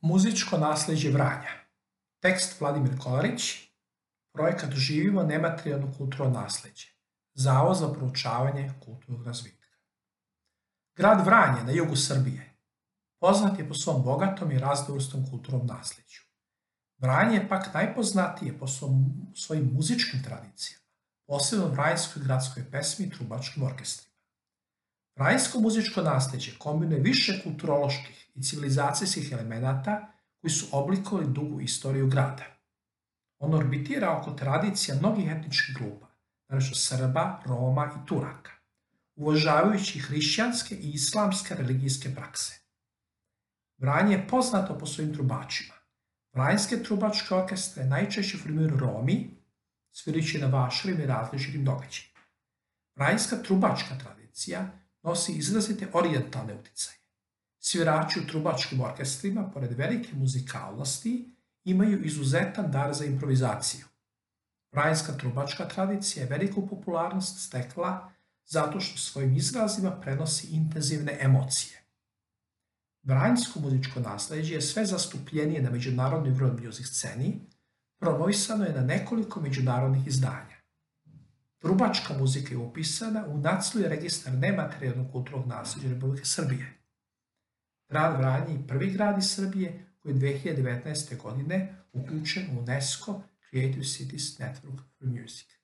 Muzičko nasleđe Vranja. Tekst Vladimir Kolarić. Projekat Živimo nematerijalno kulturno nasleđe. Zavod za proučavanje kulturnog razvitka. Grad Vranje na jugu Srbije poznat je po svom bogatom i raznovrsnom kulturnom nasleđu. Vranje je pak najpoznatije po svojim muzičkim tradicijama, posebno vranjskoj gradskoj pesmi i trubačkim orkestrima. Vranjsko muzičko nasleđe kombinuje više kulturoloških i civilizacijskih elemenata koji su oblikovali dugu istoriju grada. On orbitira oko tradicija mnogih etničkih grupa, naročito Srba, Roma i Turaka, uvažavajući hrišćanske i islamske religijske prakse. Vranje je poznato po svojim trubačima. Vranjske trubačke orkestre najčešće formiraju Romi, svirajući na vašarim i različitim događajima. Vranjska trubačka tradicija nosi izrazite orijentalne uticaje. Svirači u trubačkim orkestrima, pored velike muzikalnosti, imaju izuzetan dar za improvizaciju. Vranjska trubačka tradicija je veliku popularnost stekla zato što svojim izrazima prenosi intenzivne emocije. Vranjsko muzičko nasleđe je sve zastupljenije na međunarodnoj world music sceni, promovisano je na nekoliko međunarodnih izdanja. Trubačka muzika je upisana u Nacionalni registar nematerijalnog kulturnog nasleđa Republike Srbije. Grad Vranje je prvi grad iz Srbije koji je 2019. godine uključen u UNESCO Creative Cities Network for Music.